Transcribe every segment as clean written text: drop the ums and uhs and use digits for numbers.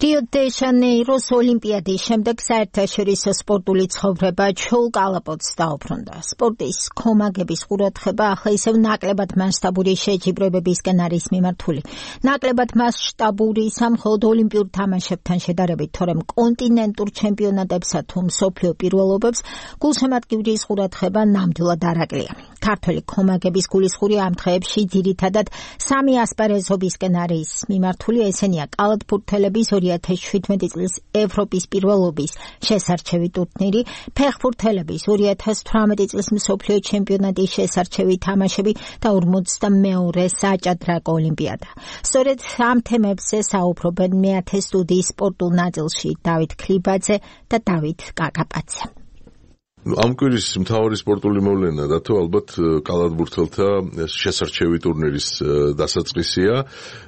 რიო-დე-ჟანეიროს ოლიმპიადის შემდეგ საერთაშორისო სპორტული ცხოვრება ჩულ კალაპოტს დაუბრუნდა. სპორტის ქომაგების ყურადღება ახლა ისევ ნაკლებად მასშტაბური შეჯიბრებებისკენ არის მიმართული. ნაკლებად მასშტაბური მხოლოდ ოლიმპიურ თამაშებთან შედარებით, თორემ კონტინენტურ ჩემპიონატებსა თუ მსოფლიო პირველობებს გულშემატკივრის ყურადღება ნამდვილად არ აკლია. ქართველი ქომაგების გულისხმური ამ დღეებში ძირითადად სამი ასპარეზობისკენ არის მიმართული, ესენია კალათბურთელების 2017 წლის ევროპის პირველობის შესარჩევი ტურნირი, ფეხბურთელების 2018 წლის მსოფლიო ჩემპიონატის შესარჩევი თამაშები და 42-ე საჭადრაკო ოლიმპიადა. სწორედ ამ თემებზე საუბრობენ მეათე სტუდიის სპორტულ ნაწილში დავით ქლიბაძე და დავით კაკაპაძე. ამ კვირის მთავარი სპორტული მოვლენა და თუ ალბათ კალათბურთელთა შესარჩევი ტურნირის დასაწყისია.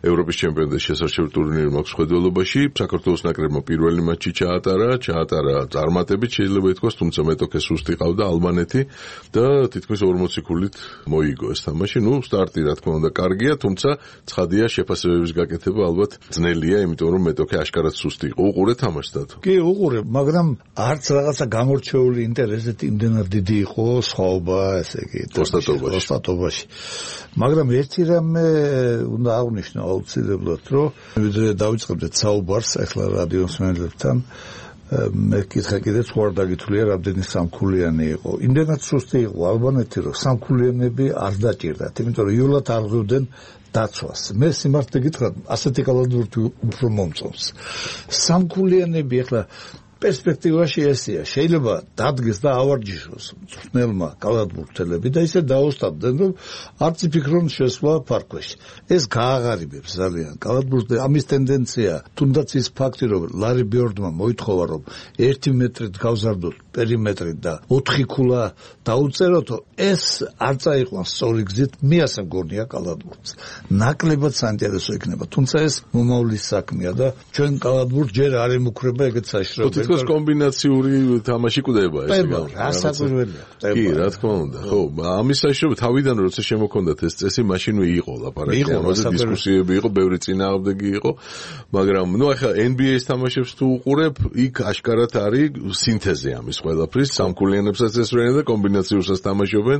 ევროპის ჩემპიონატის შესარჩევი ტურნირი მაქვს ხედველობაში. საქართველოს ნაკრებმა პირველი მატჩი ჩაატარა წარმატებით, შეიძლება ითქვას, თუმცა მეტოქე სუსტი ყავდა ალბანეთი და თითქმის 40 ქულით მოიგო ეს თამაში. სტარტი რა თქმა უნდა კარგია, თუმცა ცხადია შეფასებების გაკეთება ალბათ ძნელია, იმიტომ რომ მეტოქე აშკარად სუსტი იყო. უყურე თამაშს დათო? კი, უყურე, მაგრამ არც რაღაცა გამორჩეული ინტერესი იმდენად დიდი იყო სხვაობა, ესე იგი, ოსტატობაში. მაგრამ ერთი რამე უნდა აღნიშნო აუცილებლად, რომ ვიდრე დავიწყებდეთ საუბარს ახლა რადიოს მსმენელებთან, მე კითხე კიდე თუ არ დაგითვლია რამდენი სამქულიანი იყო. იმდენად სუსტი იყო ალბანეთი, რომ სამქულიანები არ დაჭირდათ, იმიტომ რომ იულად არ ღვივდნენ დაცვას. მე სიმართლე გითხრათ, ასეთი კალათბურთი უფრო მომწონს. სამქულიანები ახლა პერსპექტივაში ესეა, შეიძლება დადგეს და ავარჯიშოს მწვრთნელმა კალათბურთელები და ისე დაოსტაბდნენ, რომ არც იფიქრონ შესვლა ფარქვეში. ეს გააღარიბებს ძალიან კალათბურთს. ამის ტენდენცია, თუნდაც ის ფაქტი, რომ ლარი ბიორდმა მოითხოვა, რომ 1 მეტრით გავზარდოთ პერიმეტრით და 4 ქულა დაუწეროთო, ეს არ წაიყვანს სწორი გზით, მე ასე მგონია კალათბურთს. ნაკლებად საინტერესო იქნება, თუმცა ეს მომავლის საქმეა და ჩვენ კალათბურთს ჯერ არ ემუქრება ეგეთ საშიშროებას. კომბინაციური თამაში კვდება ეს გასაკვირველია. კი, რა თქმა უნდა. ხო, ამის საშიშროება თავიდან როცა შემოქონდათ ეს წესი, მაშინვე იყო ლაპარაკი, ამაზე დისკუსიები იყო, ბევრი წინააღმდეგი იყო, მაგრამ ახლა NBA-ის თამაშებს თუ უყურებ, იქ აშკარად არის სინთეზი ამის ყველაფრის, სამქულიანებსაც ესვრენენ და კომბინაციურსაც თამაშობენ,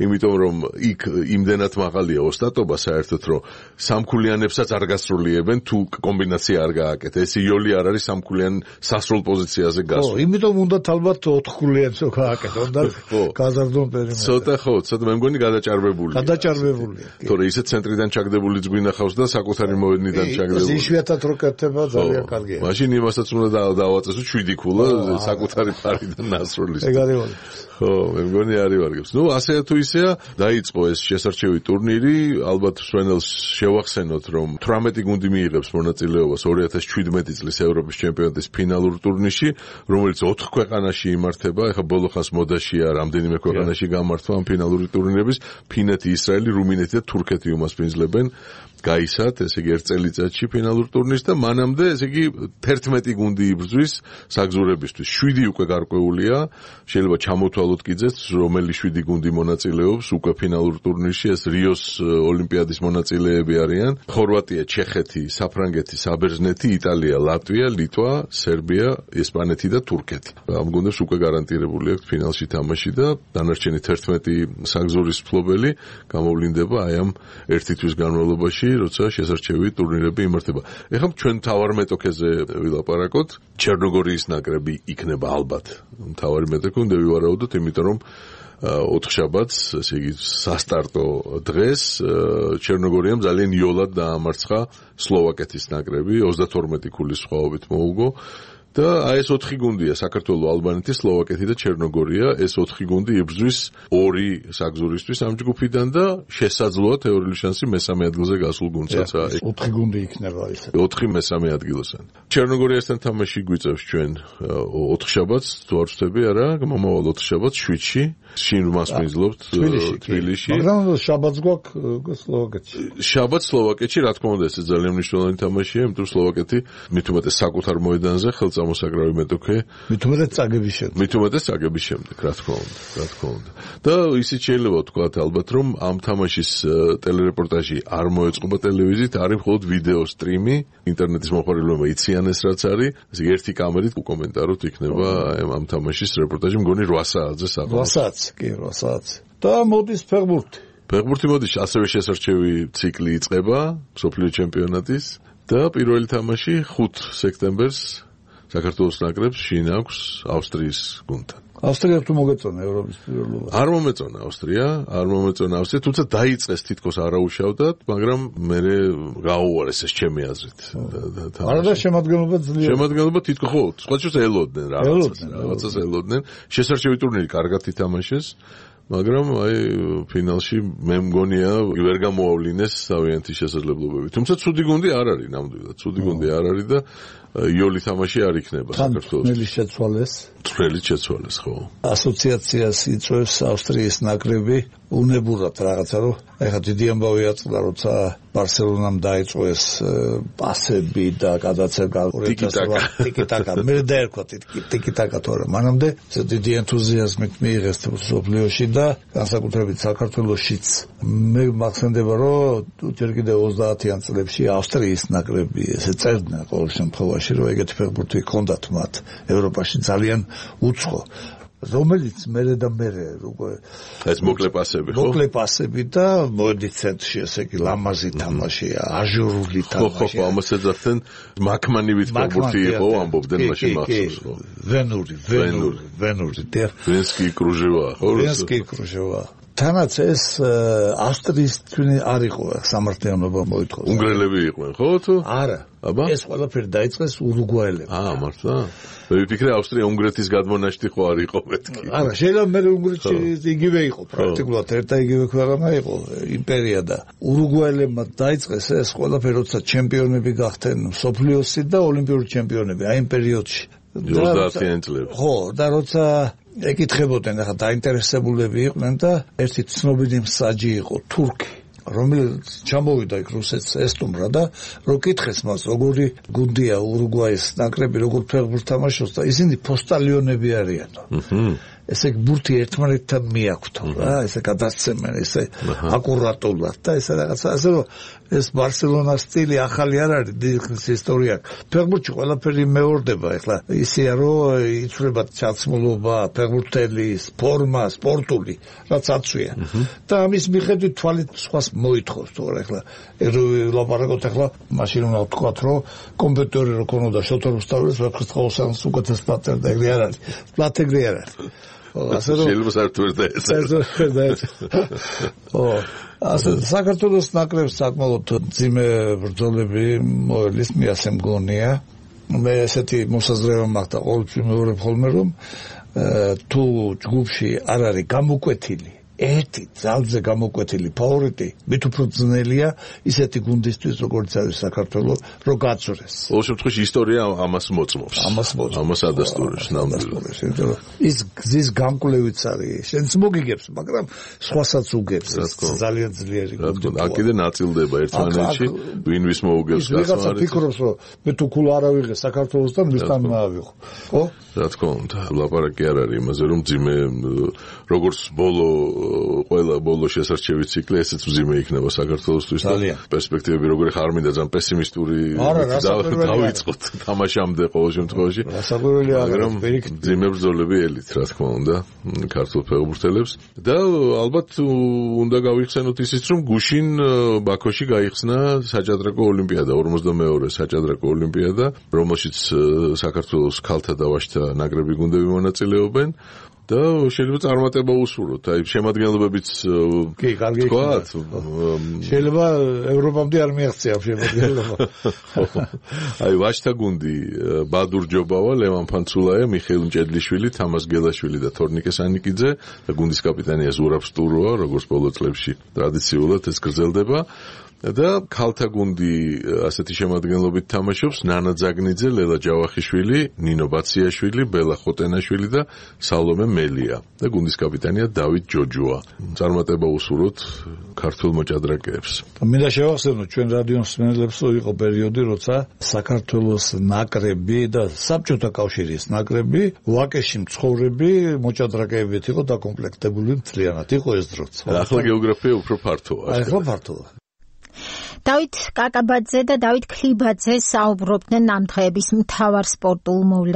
იმიტომ რომ იქ იმდენად მაღალია ოსტატობა საერთოდ, რომ სამქულიანებსაც არ გასრულიებენ თუ კომბინაცია არ გააკეთე. ეს იოლი არ არის სამქულიან სასრულ პოზიციაზე გასულ. იმიტომ უნდათ ალბათ 4 ქულიანს გააკეთონ და გაზარდონ პერიმეტრი. ცოტა მე მგონი გადაჭარბებულია. თორე ისე ცენტრიდან ჩაგდებული გვინახავს და საკუთარი მოედნიდან ჩაგდებული. იშვიათად რო კეთება ძალიან კარგია. მაშინ იმასაც უნდა დავაწესო 7 ქულა საკუთარი ფარიდან ნასრულის. ეგ არის ვარ. ხო, მე მგონი არის ვარგებს. ასე თუ ისეა, დაიწყო ეს შესარჩევი ტურნირი, ალბათ მსმენელს შევახსენოთ, რომ 18 გუნდი მიიღებს მონაწილეობას 2017 წლის ევროპის ჩემპიონატის ფინალურ ტურნირში, რომელიც 4 ქვეყანაში იმართება. ეხლა ბოლო ხანს მოდაშია რამდენიმე ქვეყანაში გამართვა ამ ფინალური ტურნირების. ფინეთი, ისრაელი, რუმინეთი და თურქეთი უმასპინძლებენ გაისად, ესე იგი 1 წელიწადში ფინალურ ტურნირს და მანამდე, ესე იგი 11 გუნდი იბრძვის საგზურებისთვის. 7 უკვე გარკვეულია, შეიძლება ჩამოთვალოთ კიდეც, რომელი 7 გუნდი მონაწილეობს უკვე ფინალურ ტურნირში. ეს რიოს ოლიმპიადის მონაწილეები არიან: ხორვატია, ჩეხეთი, საფრანგეთი, საბერძნეთი, იტალია, ლატვია, ლიტვა, სერბია, ესპანეთი და თურქეთი. ამ გუნდებს უკვე გარანტირებული აქვს ფინალში თამაში და დანარჩენი 11 საგზურის მფლობელი გამოვლინდება აი ამ ერთი თვის განმავლობაში, როცა შესარჩევი ტურნირები იმართება. ეხლა ჩვენ მთავარ მეტოქეზე ვილაპარაკოთ. ჩერნოგორიის ნაკრები იქნება ალბათ მთავარი მეტოქე, უნდა ვივარაუდოთ, იმიტომ რომ 4 შაბათს, ესე იგი სასტარტო დღეს ჩერნოგორიამ ძალიან იოლად დაამარცხა სლოვაკეთის ნაკრები, 32 ქულის სხვაობით მოუგო. და ეს 4 გუნდია: საქართველო, ალბანეთი, სლოვაკეთი და ჩერნოგორია. ეს 4 გუნდი იბრძვის 2 საგზურისთვის ამ ჯგუფიდან და შესაძლოა თეორიული შანსი მესამე ადგილზე გასულ გუნდსაც არის. 4 გუნდი იქნება ისე. 4 მესამე ადგილოსან. ჩერნოგორიასთან თამაში გვიწევს ჩვენ 4 შაბათს, თუ არ ვცდები, არა, მომავალ 4 შაბათს 7-ში. შინ მასპინძლობთ თბილისში. მაგრამ შაბათს გვაქვს სლოვაკეთში. შაბათს სლოვაკეთში, რა თქმა უნდა, ეს ძალიან მნიშვნელოვანი თამაშია, იმიტომ რომ სლოვაკეთი მით უმეტეს საკუთარ მოედანზე ხელს წამოსაკრავი მეტოქე. მით უმეტეს წაგების შემდეგ, რა თქმა უნდა. და ისიც შეიძლება ვთქვათ ალბათ, რომ ამ თამაშის ტელერეპორტაჟი არ მოეწყობა ტელევიზიით, არის მხოლოდ ვიდეო სტრიმი, ინტერნეტის მოხარებლებმა იციან ეს რაც არის, ესე ერთი კამერით უკომენტაროთ იქნება ამ თამაშის რეპორტაჟი, მგონი 8 საათზე საყოველთაოდ. 8 საათზე. და მოდის ფეხბურთი. ფეხბურთი მოდის, ასევე შესარჩევი ციკლი იწყება მსოფლიო ჩემპიონატის და პირველი თამაში 5 სექტემბერს საქართველოს ნაკრებს შინ აქვს ავსტრიის გუნდთან. ავსტრია თუ მოგეწონა ევროპის პირველობა? არ მომეწონა ავსტრია, თუმცა დაიწყეს თითქოს არაუშავდად, მაგრამ მე გაუარეს ეს ჩემი აზრით. არა შემადგენლობა ძლიერი. შემადგენლობა თითქოს ხო, სხვა შორის ელოდნენ რაღაცას ელოდნენ. შესარჩევი ტურნირი კარგად ითამაშეს. მაგრამ აი ფინალში მე მგონია ვერ გამოავლინეს თავიანთი შესაძლებლობები. თუმცა ცუდი გუნდი არ არის ნამდვილად. ცუდი გუნდი არ არის და იოლი თამაში არ იქნება საქართველოს. წვრილი შეცვალეს ხო. ასოციაციას იწვევს ავსტრიის ნაკრები უნებურად რაღაცა რომ ეხლა დიდი ამბავი აწყდა როცა ბარსელონამ დაიწყო ეს პასები და გადაცემა ტიკიტაკა მე დაერქვა ტიკიტაკა თორე მანამდე დიდი ენთუზიაზმით მიიღეს მსოფლიოში და განსაკუთრებით საქართველოშიც მე მახსენდება რომ ჯერ კიდევ 30-იან წლებში ავსტრიის ნაკრები ესე წერდნენ ყოველ შემთხვევაში რომ ეგეთი ფეხბურთი ჰქონდათ მათ ევროპაში ძალიან უცხო რომელიც მერე როგორ ეს მოკლე პასები და მოდი ცენტრში ესე კი ლამაზი თამაშია აჟურული თამაშია ხო ამას ეძახდნენ მაკმანივით ფეხბურთი იყო ამბობდნენ მაშინ მახსოვს ხო ვენური ვენსკი კრუჟევა თანაც ეს ავსტრიის თვინი არ იყო სამართლიანობა მოითხოვს უნგრელები იყვნენ ხო თუ არა აბა ეს ყველაფერი დაიწყეს ურუგვაელებმა მართლა მე ვფიქრე ავსტრია უნგრეთის გადმონაშთი ხო არ იყო მეთქი არა შეიძლება მე უნგრეთში იგივე იყო პრაქტიკულად ერთა იგივე ქვეყანა იყო იმპერია და ურუგვაელებმა დაიწყეს ეს ყველაფერი როცა ჩემპიონები გახდნენ მსოფლიოსი და ოლიმპიური ჩემპიონები აი იმ პერიოდში 30-იან წლებში ხო და როცა ეკითხებოდნენ ახლა დაინტერესებულები იყვნენ და ერთი ცნობილი მსაჯი იყო თურქი რომელიც ჩამოვიდა იქ რუსეთს ესტუმრა და რო კითხეს მას როგორი გუნდია ურუგვაის ნაკრები როგორ ფეხბურთს თამაშობს და ისინი პოსტალიონები არიანო ესე ბურთი ერთმანეთთან მიაქვთო რა ესე გადასცემენ ესე აკურატულად და ესე რაღაცა ასე რომ ეს ბარსელონას სტილი ახალი არ არის დიდხნის ისტორია ფეხბურთში ყველაფერი მეორდება ეხლა ისეა რომ იცვლება ჩაცმულობა ფეხბურთელი ფორმა სპორტული რაც აცვია და ამის მიხედვით თვალით სხვას მოითხოვს თორე ეხლა ლაპარაკობთ ეხლა მაშინ უნდა ვთქვათ რომ კომპიუტერი რო ქონოდა შოთორ რუსთაველის ვეფხისტყაოსანს უკეთეს პატერდა ეგრე არ არის პლატეგრე არ არის შეიძლება საერთოდ ეს ასე საქართველოს ნაკრებს საკმაოდ ძიმე ბრძოლები მოელის მე ასე მგონია მე ესეთი მოსაზრება მაქვს და ყოველთვის მეორე ხოლმე რომ თუ ჯგუფში არ არის გამოკვეთილი ერთი ძალზე გამოკვეთილი ფავორიტი მით უფრო ძნელია ისეთი გუნდისთვის როგორც არის საქართველოს რომ გაწურეს ყოველ შემთხვევაში ისტორია ამას მოწმობს ამას ადასტურებს ნამდვილად ის გზის გამკვლევიც არის შენც მოგიგებს მაგრამ სხვასაც უგებს ძალიან ძლიერი გუნდია აქ კიდე ნაწილდება ერთმანეთში ვინ ვის მოუგებს ვიღაცა ფიქრობს რომ მე თუ ქულა არ ავიღე საქართველოსთან მისთან ავიღო ხო რა თქმა უნდა ლაპარაკი არ არის იმაზე რომ ძიმე როგორც ბოლო შესარჩევი ციკლი ესეც მძიმე იქნება საქართველოსთვის და პერსპექტივები როგორი ხარ მინდა ძალიან პესიმისტური დავიწყოთ თამაშამდე ყოველ შემთხვევაში მაგრამ მძიმე ბრძოლები ელით რა თქმა უნდა ქართულ ფეხბურთელებს და ალბათ უნდა გავიხსენოთ ისიც რომ გუშინ ბაქოში გაიხსნა საჭადრაკო ოლიმპიადა 42 საჭადრაკო ოლიმპიადა რომელშიც საქართველოს ქალთა და ვაჟთა ნაკრები გუნდები მონაწილეობენ და შეიძლება წარმატება უსურვოთ. აი შემადგენლობებიც კი, კარგი იქნება. შეიძლება ევროპამდე არ მიაღწია შემადგენლობა. აი ვაჟთა გუნდი ბადურ ჯობავა, ლევან ფანცულაია, მიხეილ მჭედლიშვილი, თამას გელაშვილი და თორნიკე სანიკიძე და გუნდის კაპიტანია ზურაბ სტუროა, როგორც ბოლო წლებში ტრადიციულად ეს გრძელდება. და ქალთა გუნდი ასეთი შემადგენლობით თამაშობს ნანა ძაგნიძე, ლელა ჯავახიშვილი, ნინო ბაციაშვილი, ბელა ხოტენაშვილი და სალომე მელია და გუნდის კაპიტანია დავით ჯოჯოა. წარმატება უსურვოთ ქართულ მოჭადრაკეებს. მინდა შევახსენოთ ჩვენ რადიოს მსმენელებს, რომ იყო პერიოდი, როცა საქართველოს ნაკრები და საბჭოთა კავშირის ნაკრები ვაკეში მცხოვრები მოჭადრაკეებით იყო დაკომპლექტებული მთლიანად. იყო ეს დროც. ახლა გეოგრაფია უფრო ფართოა. ახლა ფართოა. დავით კაკაბაძე და დავით ქლიბაძე საუბრობდნენ ამ დღეების მთავარ სპორტულ მოვლენებზე.